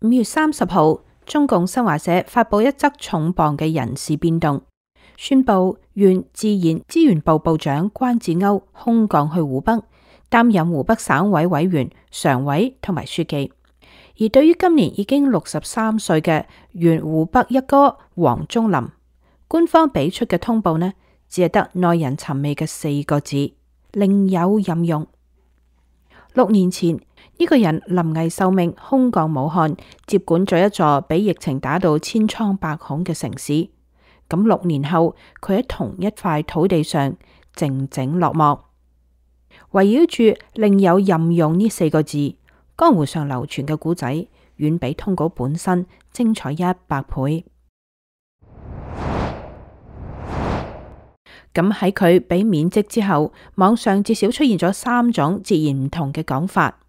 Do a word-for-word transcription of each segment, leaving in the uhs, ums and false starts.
五月三十號，中共新華社發佈一則重磅嘅人事變動，宣布原自然資源部部長關志歐空降去湖北，擔任湖北省委委員、常委同埋書記。而對於今年已經六十三歲嘅原湖北一哥王忠林，官方俾出嘅通報呢，只係得耐人尋味嘅四個字：另有任用。六年前，呢個人臨危受命空降武漢，接管咗一座俾疫情打到千瘡百孔嘅城市。咁六年後，佢喺同一塊土地上靜靜落幕。圍繞住另有任用呢四個字，江湖上流傳嘅故仔遠比通稿本身精彩一百倍。咁喺佢被免職之後，網上至少出現咗三種截然唔同嘅講法。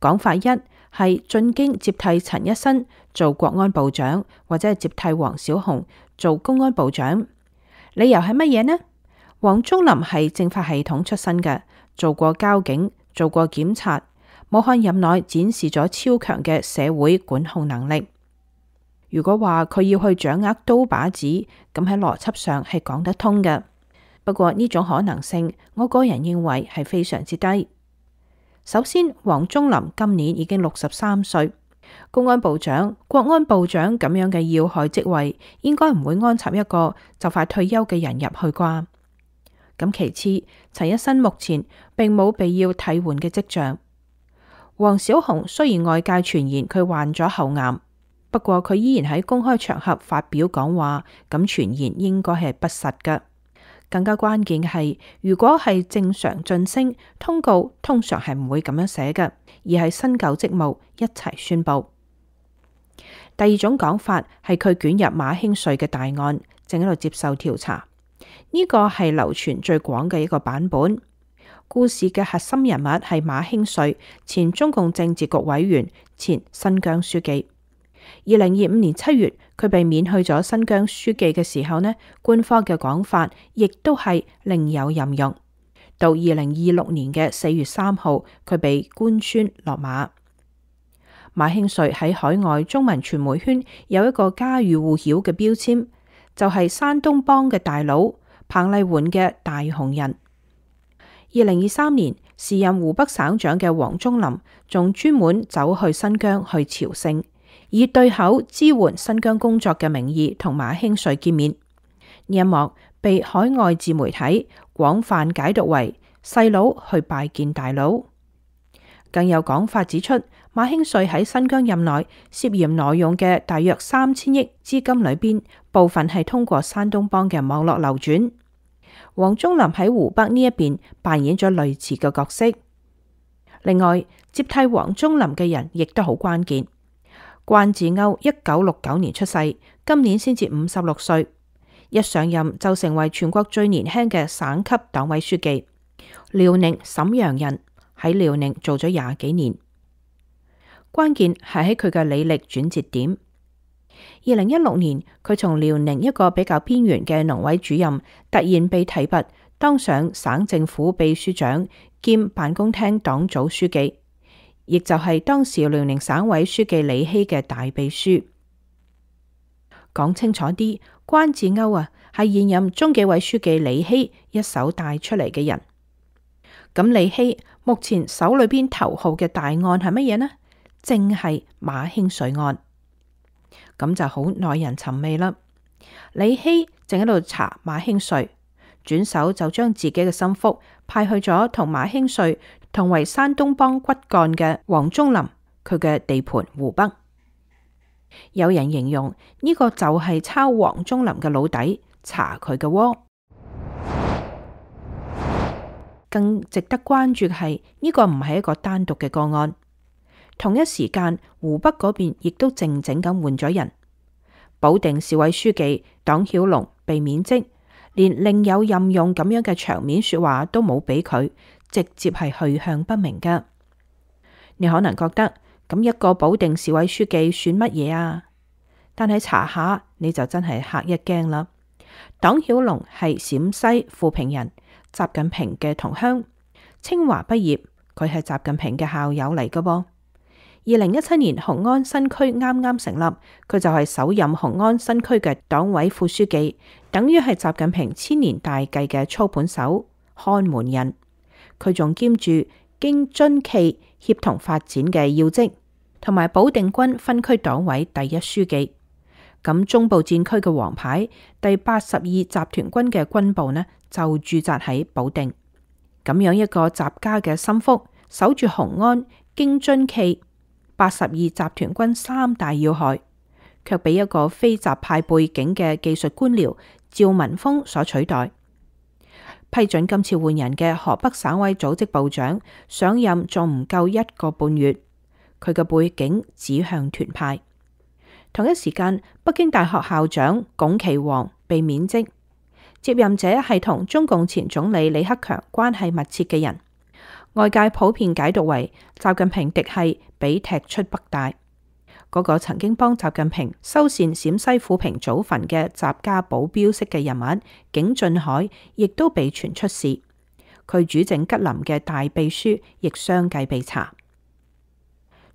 講法一係進京接替陳一新做國安部長，或者係接替王小洪做公安部長。理由係乜嘢呢？王忠林係政法系統出身嘅，做過交警，做過檢察，武漢任內展示咗超強嘅社會管控能力。如果話佢要去掌握刀把子，咁喺邏輯上係講得通嘅。不過呢種可能性，我個人認為係非常之低。首先，王忠林今年已經六十三歲，公安部長、國安部長咁樣嘅要害職位，應該唔會安插一個就快退休嘅人入去啩。咁其次，陳一新目前並冇被要替換嘅跡象。王小洪雖然外界傳言佢患咗喉癌，不過佢依然喺公開場合發表講話，咁傳言應該係不實㗎。更加關鍵嘅係，如果係正常晉升，通告通常係唔會咁樣寫嘅，而係新舊職務一齊宣佈。第二種講法係佢捲入馬興瑞嘅大案，正喺度接受調查。呢個係流傳最廣嘅一個版本。故事嘅核心人物係馬興瑞，前中共政治局委員，前新疆書記。二零二五年七月，佢被免去咗新疆書記嘅時候呢，官方嘅講法亦都係另有任用。到二零二六年嘅四月三號，佢被官宣落馬。馬興瑞喺海外中文傳媒圈有一個家喻戶曉嘅標籤，就係山東幫嘅大佬，彭麗媛嘅大紅人。二零二三年，時任湖北省長嘅王忠林仲專門走去新疆去朝聖，以對口支援新疆工作嘅名義同馬興瑞見面。呢一幕被海外自媒體廣泛解讀為細佬去拜見大佬。更有講法指出，馬興瑞喺新疆任內涉嫌挪用嘅大約三千億資金裏邊，部分係通過山東幫嘅網絡流轉。王忠林喺湖北呢一邊扮演咗類似嘅角色。另外，接替王忠林嘅人亦都好關鍵。關志歐一九六九年出世，今年先至五十六歲，一上任就成為全國最年輕嘅省級黨委書記。遼寧瀋陽人，喺遼寧做咗廿幾年。關鍵係喺佢嘅履歷轉折點。二零一六年，佢從遼寧一個比較邊緣嘅農委主任，突然被提拔當上省政府秘書長兼辦公廳黨組書記，亦就係當時遼寧省委書記李希嘅大秘書。講清楚啲，關志歐啊，係現任中紀委書記李希一手帶出嚟嘅人。咁李希目前手裏邊頭號嘅大案係乜嘢呢？正係馬興瑞案。咁就好耐人尋味啦。李希正喺度查馬興瑞，轉手就將自己嘅心腹派去咗同馬興瑞同為山東幫骨幹嘅王忠林，佢嘅地盤湖北。有人形容呢個就係抄王忠林嘅老底，查佢嘅窩。更值得關注嘅係呢個唔係一個單獨嘅個案。同一時間，湖北嗰邊亦都靜靜咁換咗人。保定市委書記黨曉龍被免職，連另有任用咁樣嘅場面說話都冇俾佢，直接係去向不明噶。你可能覺得咁一個保定市委書記算乜嘢啊？但係查下你就真係嚇一驚啦。黨曉龍係陝西富平人，習近平嘅同鄉，清華畢業，佢係習近平嘅校友嚟噶噃。二零一七年雄安新區啱啱成立，佢就係首任雄安新區嘅黨委副書記，等於係習近平千年大計嘅操盤手、看門人。佢仲兼住京津冀協同發展嘅要職，同埋保定軍分區黨委第一書記。咁中部戰區嘅王牌第八十二集團軍嘅軍部呢，就駐紮喺保定。咁樣一個習家嘅心腹，守住雄安、京津冀、八十二集團軍三大要害，卻被一個非習派背景嘅技術官僚趙文峰所取代。批准今次換人嘅河北省委組織部長上任仲唔夠一個半月，佢嘅背景指向團派。同一時間，北京大學校長龔其煌被免職，接任者係同中共前總理李克強關係密切嘅人，外界普遍解讀為習近平嫡系被踢出北大。嗰、那個曾經幫習近平修繕陝西撫平祖墳嘅習家保鏢式嘅人物景俊海，亦都被傳出事。佢主政吉林嘅大秘書亦相繼被查。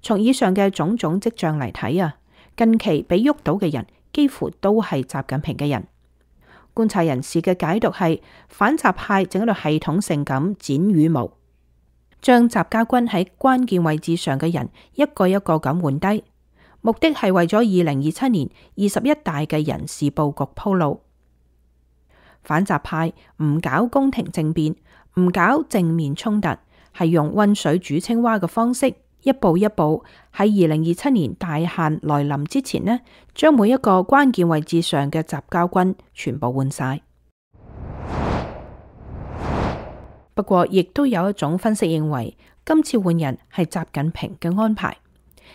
從以上嘅種種跡象嚟睇啊，近期被喐到嘅人幾乎都係習近平嘅人。觀察人士嘅解讀係反習派正喺度系統性咁剪羽毛，將習家軍喺關鍵位置上嘅人一個一個咁換低，目的係為咗二零二七年二十一大嘅人事佈局鋪路。反習派唔搞宮廷政變，唔搞正面衝突，係用溫水煮青蛙嘅方式，一步一步喺二零二七年大限來臨之前呢，將每一個關鍵位置上嘅習家軍全部換晒。不過，亦都有一種分析認為，今次換人係習近平嘅安排，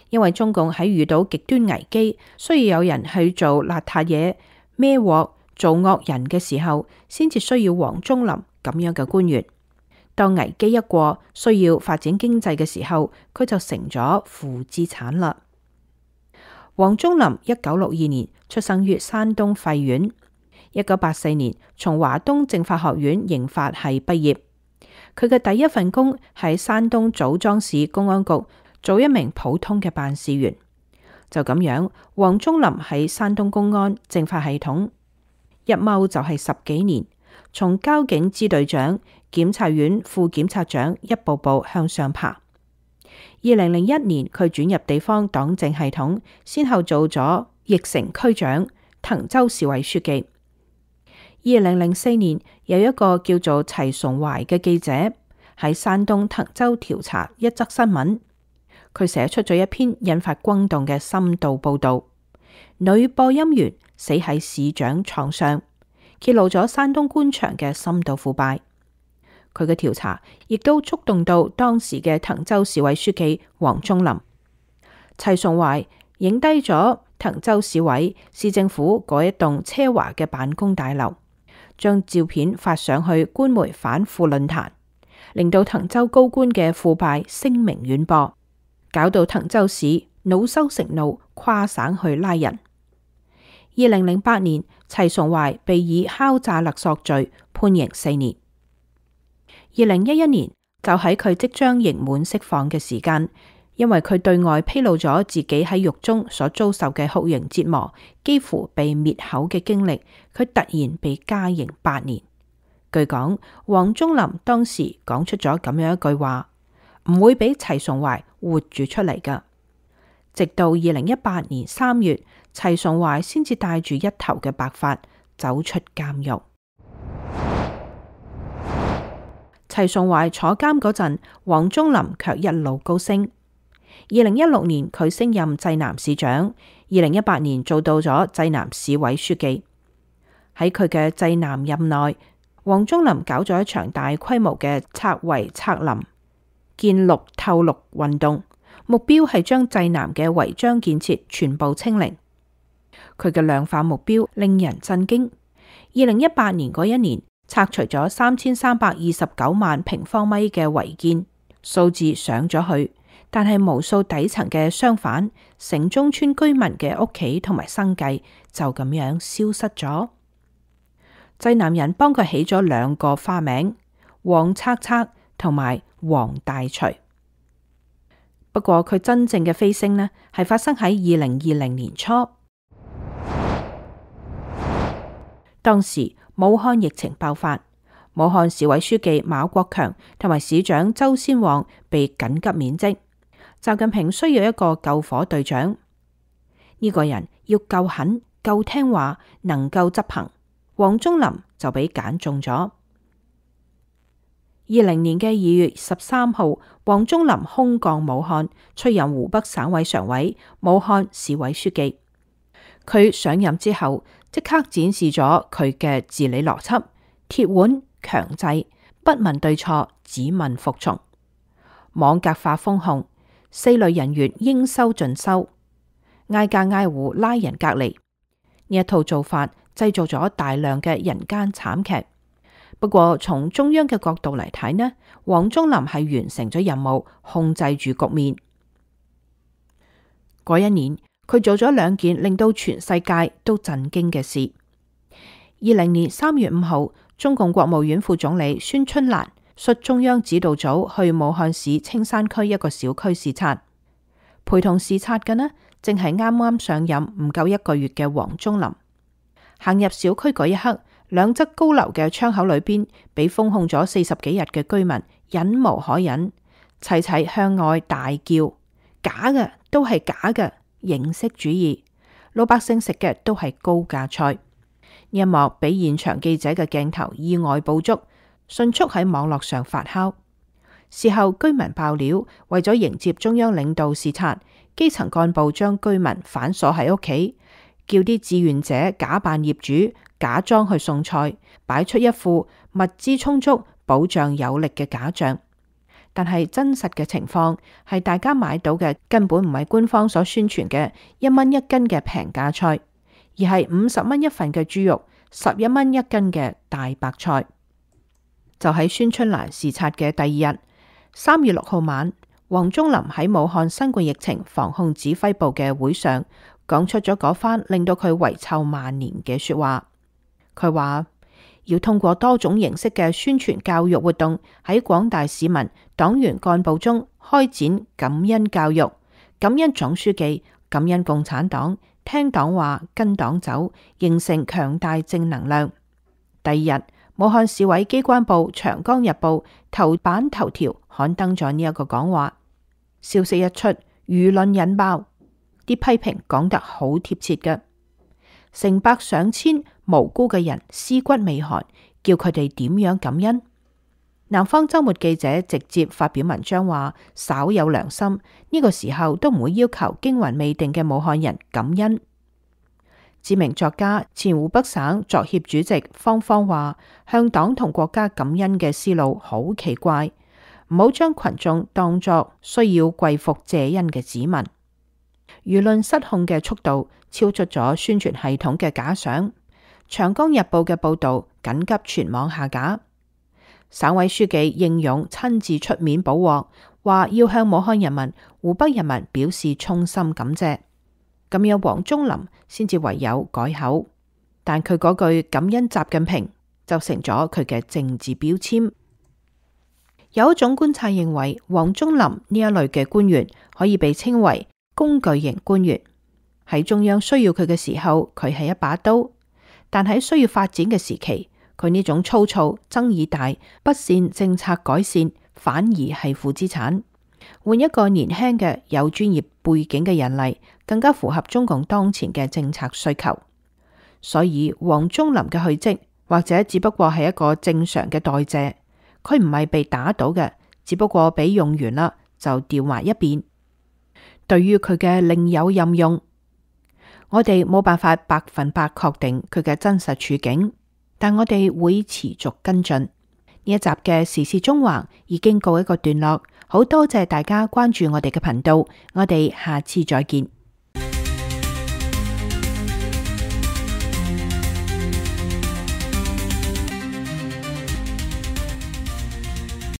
因為中共喺遇到極端危機，需要有人去做邋遢嘢、孭鑊、做惡人嘅時候，先至需要王忠林咁樣嘅官員。當危機一過，需要發展經濟嘅時候，佢就成咗負資產啦。王忠林一九六二年出生於山東費縣，一九八四年從華東政法學院刑法系畢業。佢嘅第一份工喺山東棗莊市公安局做一名普通嘅辦事員。就咁樣，王忠林喺山東公安政法系統一踎就係十幾年，從交警支隊長、檢察院副檢察長一步步向上爬。二零零一年，佢轉入地方黨政系統，先後做咗翼城區長、滕州市委書記。二零零四年，有一個叫做齊崇懷嘅記者喺山東滕州調查一則新聞，佢寫出咗一篇引發轟動嘅深度報道：女播音員死喺市長床上，揭露咗山東官場嘅深度腐敗。佢嘅調查亦都觸動到當時嘅滕州市委書記王忠林。齊崇懷影低咗滕州市委市政府嗰一棟奢華嘅辦公大樓，將照片發上去官媒反腐論壇，令到滕州高官嘅腐敗聲名遠播，搞到滕州市惱羞成怒，跨省去拉人。二零零八年，齊崇懷被以敲詐勒索罪判刑四年。二零一一年，就喺佢即將刑滿釋放嘅時間，因為佢對外披露咗自己喺獄中所遭受嘅酷刑折磨，幾乎被滅口嘅經歷，佢突然被加刑八年。據講，王忠林當時講出咗咁樣一句話：唔會俾齊崇懷活住出嚟噶。直到二零一八年三月，齊崇懷先至帶住一頭嘅白髮走出監獄。齊崇懷坐監嗰陣，王忠林卻一路高升。二零一六年佢升任濟南市長，二零一八年做到咗濟南市委書記。喺佢嘅濟南任內，王忠林搞咗一場大規模嘅拆圍拆林、建綠透綠運動，目標係將濟南嘅違章建設全部清零。佢嘅量化目標令人震驚。二零一八年嗰一年，拆除咗三千三百二十九萬平方米嘅違建，數字上咗去，但係無數底層嘅商販、城中村居民嘅屋企同埋生計就咁樣消失咗。濟南人幫佢起咗兩個花名：王拆拆同埋王大除。不過佢真正嘅飛升呢，係發生喺二零二零年初。當時武漢疫情爆發，武漢市委書記馬國強同埋市長周先旺被緊急免職。習近平需要一個救火隊長，呢、這個人要夠狠、夠聽話、能夠執行。王忠林就被揀中咗。二零年嘅二月十三號，王忠林空降武漢，出任湖北省委常委、武漢市委書記。佢上任之後，即刻展示咗佢嘅治理邏輯：鐵腕、強制、不問對錯，只問服從。網格化封控，四類人員應收盡收，挨家挨戶拉人隔離。呢一套做法製造咗大量嘅人間慘劇。不過從中央嘅角度嚟睇呢，王忠林係完成咗任務，控制住局面。嗰一年，佢做咗兩件令到全世界都震驚嘅事。二零年三月五號，中共國務院副總理孫春蘭率中央指導組去武漢市青山區一個小區視察，陪同視察嘅呢，正係啱啱上任唔夠一個月嘅王忠林。行入小區嗰一刻，兩側高樓嘅窗口裏邊，俾封控咗四十幾日嘅居民忍無可忍，齊齊向外大叫：假嘅都係假嘅，形式主義，老百姓食嘅都係高價菜。呢一幕俾現場記者嘅鏡頭意外捕捉，迅速喺網絡上發酵。事後居民爆料，為咗迎接中央領導視察，基層幹部將居民反鎖喺屋企，叫啲志願者假扮業主，假裝去送菜，擺出一副物資充足、保障有力嘅假象。但係真實嘅情況係，大家買到嘅根本唔係官方所宣傳嘅一蚊一斤嘅平價菜，而係五十蚊一份嘅豬肉、十一蚊一斤嘅大白菜。就喺孫春蘭視察嘅第二日，三月六號晚，王忠林喺武漢新冠疫情防控指揮部嘅會上，講出咗嗰番令到佢遺臭萬年嘅說話。佢話要通過多種形式嘅宣傳教育活動，喺廣大市民、黨員幹部中開展感恩教育，感恩總書記，感恩共產黨，聽黨話，跟黨走，形成強大正能量。第二日，武漢市委機關報《長江日報》頭版頭條刊登咗呢一個講話，消息一出，輿論引爆，啲批評講得好貼切嘅，成百上千無辜嘅人屍骨未寒，叫佢哋點樣感恩？南方周末記者直接發表文章話，稍有良心，呢個時候都唔會要求驚魂未定嘅武漢人感恩。知名作家、前湖北省作協主席方方話，向黨同國家感恩嘅思路好奇怪，唔好將群眾當作需要跪服謝恩嘅子民。輿論失控嘅速度超出咗宣傳系統嘅假想。長江日報嘅報道緊急全網下架，省委書記應勇親自出面補鑊，話要向武漢人民、湖北人民表示衷心感謝。咁樣王忠林先至唯有改口，但佢嗰句感恩習近平就成咗佢嘅政治標籤。有一種觀察認為，王忠林呢一類嘅官員可以被稱為工具型官員，喺中央需要佢嘅時候，佢係一把刀。但喺需要發展嘅時期，佢呢種粗糙、爭議大、不善政策改善，反而係負資產。換一個年輕嘅有專業背景嘅人嚟，更加符合中共當前嘅政策需求。所以王忠林嘅去職，或者只不過係一個正常嘅代謝，佢唔係被打倒嘅，只不過俾用完啦就調埋一邊。對於佢嘅另有任用，我哋冇辦法百分百確定佢嘅真實處境，但我哋會持續跟進。呢一集嘅時事縱橫已經告一個段落，好多謝大家關注我哋嘅頻道，我哋下次再見。